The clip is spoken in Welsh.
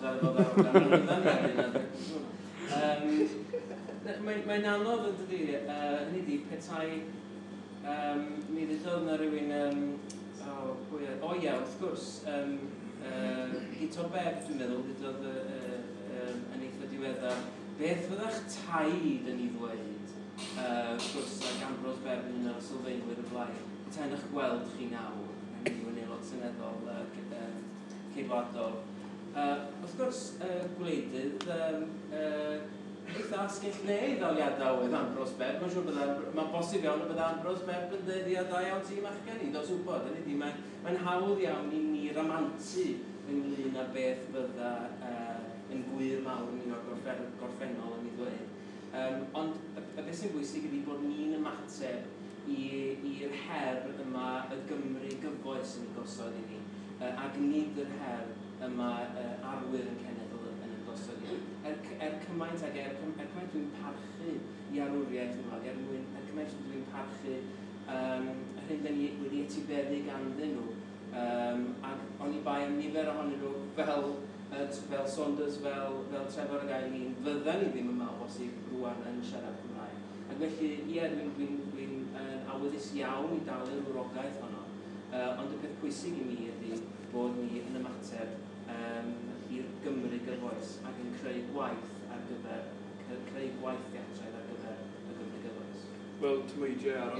ar y ddarogan. Mae'n anodd yn dydi, hynny ydi, petai, mi ddudodd yna rhywun, o, pwy oedd? O ie, wrth gwrs, Guto Bebb, dwi'n meddwl, ddudodd yn eitha diweddar, beth fydda'ch taid yn ei ddweud, wrth gwrs, ac Ambrose Bebb yn un o'r sylfaenwyr y blaid, petai yn eich gweld chi nawr, hynny yw yn aelod seneddol Ceidwadol. Wrth gwrs, gwleidydd, eitha asgell dde i ddaliadau oedd Ambrose Bebb. Mae'n siŵr bydda, mae'n bosib iawn y bydda Ambrose Bebb yn dweud, ia, da iawn ti, machgen i, dos wybod. Hynny ydi, mae'n hawdd iawn i ni ramantu ynglyn â beth fydda yn gwir mawr yn un o'r gorffennol yn ei ddweud. Ond y beth sy'n bwysig ydy bod ni'n ymateb i'r her yma y Gymru gyfoes yn ei gosod i ni, ac nid yr her yma arwyr yn cenedl yn ei gosod i ni. Er cymaint ag er cymaint dwi'n parchu i arwriaeth nhw, ac er cymaint dwi'n parchu yr hyn da ni wedi etifeddu ganddyn nhw, ac oni bai am nifer ohonyn nhw fel Saunders, fel Trefor ac Eileen, fyddan ni ddim yma o bosib rwan yn siarad Cymraeg. Ac felly, ie, dwi'n awyddus iawn i dalu'r wrogaeth honno, ond y peth pwysig i mi ydy bod ni yn ymateb i'r Gymru gyfoes ac yn creu gwaith ar gyfer, creu gwaith theatraidd ar gyfer y Gymru gyfoes. Wel, tameidiau arall.